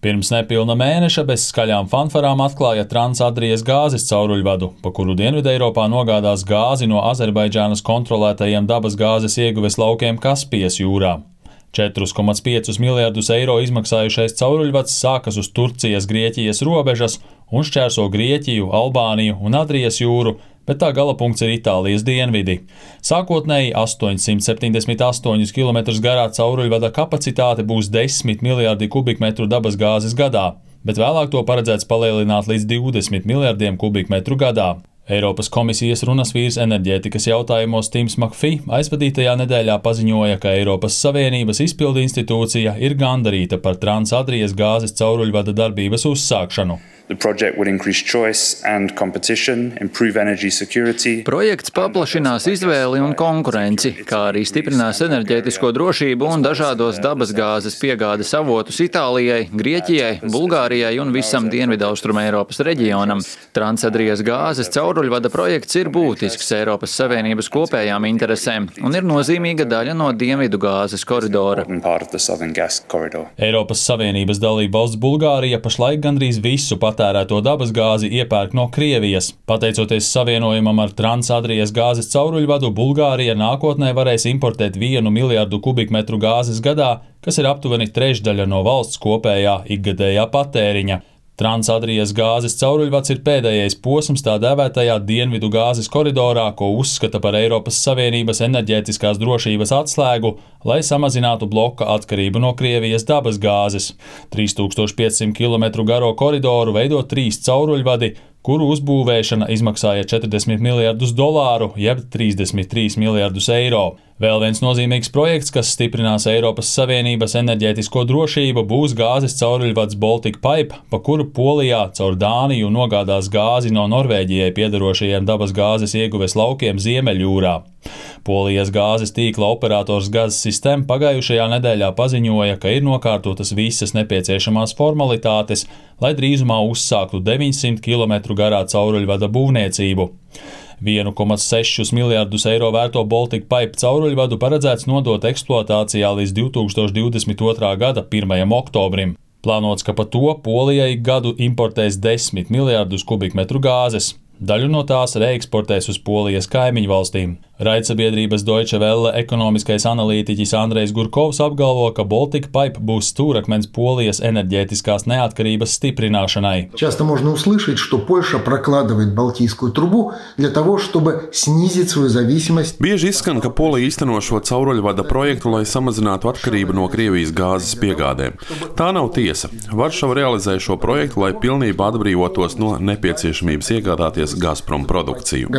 Pirms nepilna mēneša bez skaļām fanfarām atklāja Transadrijas gāzes cauruļvadu, pa kuru Dienvideiropā nogādās gāzi no Azerbaidžānas kontrolētajiem dabasgāzes ieguves laukiem Kaspijas jūrā. 4,5 miljardus eiro izmaksājušais cauruļvads sākas uz Turcijas-Grieķijas robežas un šķērso Grieķiju, Albāniju un Adrijas jūru, bet tā galapunkts ir Itālijas dienvidi. Sākotnēji 878 km garā cauruļvada kapacitāte būs 10 miljardi kubikmetru dabasgāzes gadā, bet vēlāk to paredzēts palielināt līdz 20 miljardiem kubikmetru gadā. Eiropas komisijas runasvīrs enerģētikas jautājumos Tims Makfī aizvadītajā nedēļā paziņoja, ka Eiropas Savienības izpildu institūcija ir gandarīta par Transadrijas gāzes cauruļvada darbības uzsākšanu. Projekts paplašinās izvēli un konkurenci, kā arī stiprinās enerģētisko drošību un dažādos dabasgāzes piegādes avotus Itālijai, Grieķijai, Bulgārijai un visam Dienvidaustruma Eiropas reģionam. Transadrijas gāzes cauruļvada projekts ir būtisks Eiropas Savienības kopējām interesēm un ir nozīmīga daļa no Dienvidu gāzes koridora. Eiropas Savienības dalībvalsts Bulgārija pašlaik gandrīz visu patērēto dabasgāzi iepērk no Krievijas. Pateicoties savienojumam ar Transadrijas gāzes cauruļvadu, Bulgārija nākotnē varēs importēt 1 miljardu kubikmetru gāzes gadā, kas ir aptuveni trešdaļa no valsts kopējā ikgadējā patēriņa. Transadrijas gāzes cauruļvads ir pēdējais posms tā dēvētajā Dienvidu gāzes koridorā, ko uzskata par Eiropas Savienības enerģētiskās drošības atslēgu, lai samazinātu bloka atkarību no Krievijas dabasgāzes. 3500 km garo koridoru veido 3 cauruļvadi, kuru uzbūvēšana izmaksāja $40 miljardus, jeb 33 miljardus eiro. Vēl viens nozīmīgs projekts, kas stiprinās Eiropas Savienības enerģētisko drošību, būs gāzes cauruļvads Baltic Pipe, pa kuru Polijā caur Dāniju nogādās gāzi no Norvēģijai piederošajiem dabasgāzes ieguves laukiem Ziemeļjūrā. Polijas gāzes tīkla operators Gazsystem pagājušajā nedēļā paziņoja, ka ir nokārtotas visas nepieciešamās formalitātes, lai drīzumā uzsāktu 900 km garā cauruļvada būvniecību. 1,6 miljardus eiro vērto Baltic Pipe cauruļvadu paredzēts nodot eksploatācijā līdz 2022. gada 1. oktobrim. Plānots, ka pa to Polija ik gadu importēs 10 miljardus kubikmetru gāzes. Daļu no tās reeksportēs uz Polijas kaimiņu valstīm. Raidsabiedrības Deutsche Welle ekonomiskais analītiķis Andrejs Gurkovs apgalvo, ka Baltic Pipe būs stūrakmens Polijas enerģētiskās neatkarības stiprināšanai. Часто можно услышать, что Польша прокладывает Балтийскую трубу для того, чтобы снизить свою зависимость. Bieži izskan, ka Polija īsteno šo cauruļvada projektu, lai samazinātu atkarību no Krievijas gāzes piegādēm. Tā nav tiesa. Varšava realizē šo projektu, lai pilnībā atbrīvotos no nepieciešamības iegādāties Gazprom produkciju.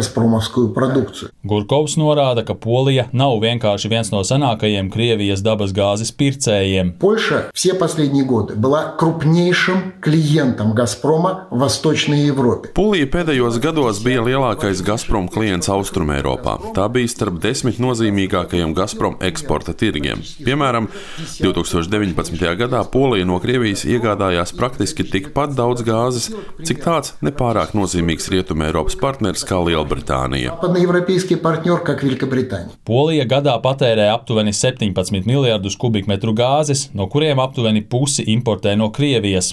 Gurkovs norāda, ka Polija nav vienkārši viens no senākajiem Krievijas dabasgāzes pircējiem. Польша все последние годы была крупнейшим клиентом Газпрома в Восточной Европе. Polija pēdējos gados bija lielākais Gazprom klients Austrumeiropā. Tā bija starp 10 nozīmīgākajiem Gazprom eksporta tirgiem. Piemēram, 2019. gadā Polija no Krievijas iegādājās praktiski tikpat daudz gāzes, cik tāds nepārāk nozīmīgs Rietumeiropas partners kā Lielbritānija. Polija gadā patērē aptuveni 17 miljardus kubikmetru gāzes, no kuriem aptuveni pusi importē no Krievijas.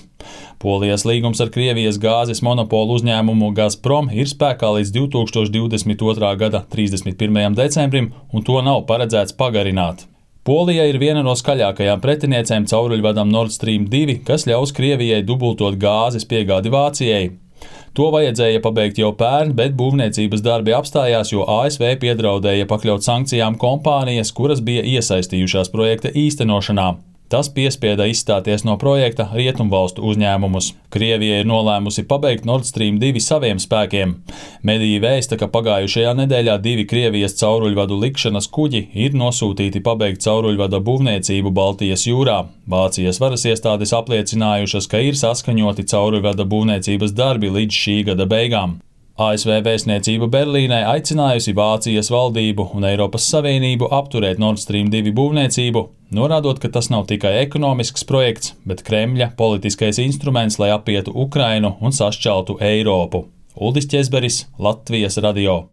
Polijas līgums ar Krievijas gāzes monopolu uzņēmumu Gazprom ir spēkā līdz 2022. gada 31. decembrim, un to nav paredzēts pagarināt. Polija ir viena no skaļākajām pretiniecēm cauruļvadam Nord Stream 2, kas ļaus Krievijai dubultot gāzes piegādi Vācijai. To vajadzēja pabeigt jau pērn, bet būvniecības darbi apstājās, jo ASV piedraudēja pakļaut sankcijām kompānijas, kuras bija iesaistījušās projekta īstenošanā. Tas piespieda izstāties no projekta rietumvalstu uzņēmumus. Krievija ir nolēmusi pabeigt Nord Stream 2 saviem spēkiem. Mediji vēsta, ka pagājušajā nedēļā 2 Krievijas cauruļvadu likšanas kuģi ir nosūtīti pabeigt cauruļvada būvniecību Baltijas jūrā. Vācijas varas iestādes apliecinājušas, ka ir saskaņoti cauruļvada būvniecības darbi līdz šī gada beigām. ASV vēstniecība Berlīnē aicinājusi Vācijas valdību un Eiropas Savienību apturēt Nord Stream 2 būvniecību, norādot, ka tas nav tikai ekonomisks projekts, bet Kremļa politiskais instruments, lai apietu Ukrainu un sašķeltu Eiropu. Uldis Ķezberis, Latvijas radio.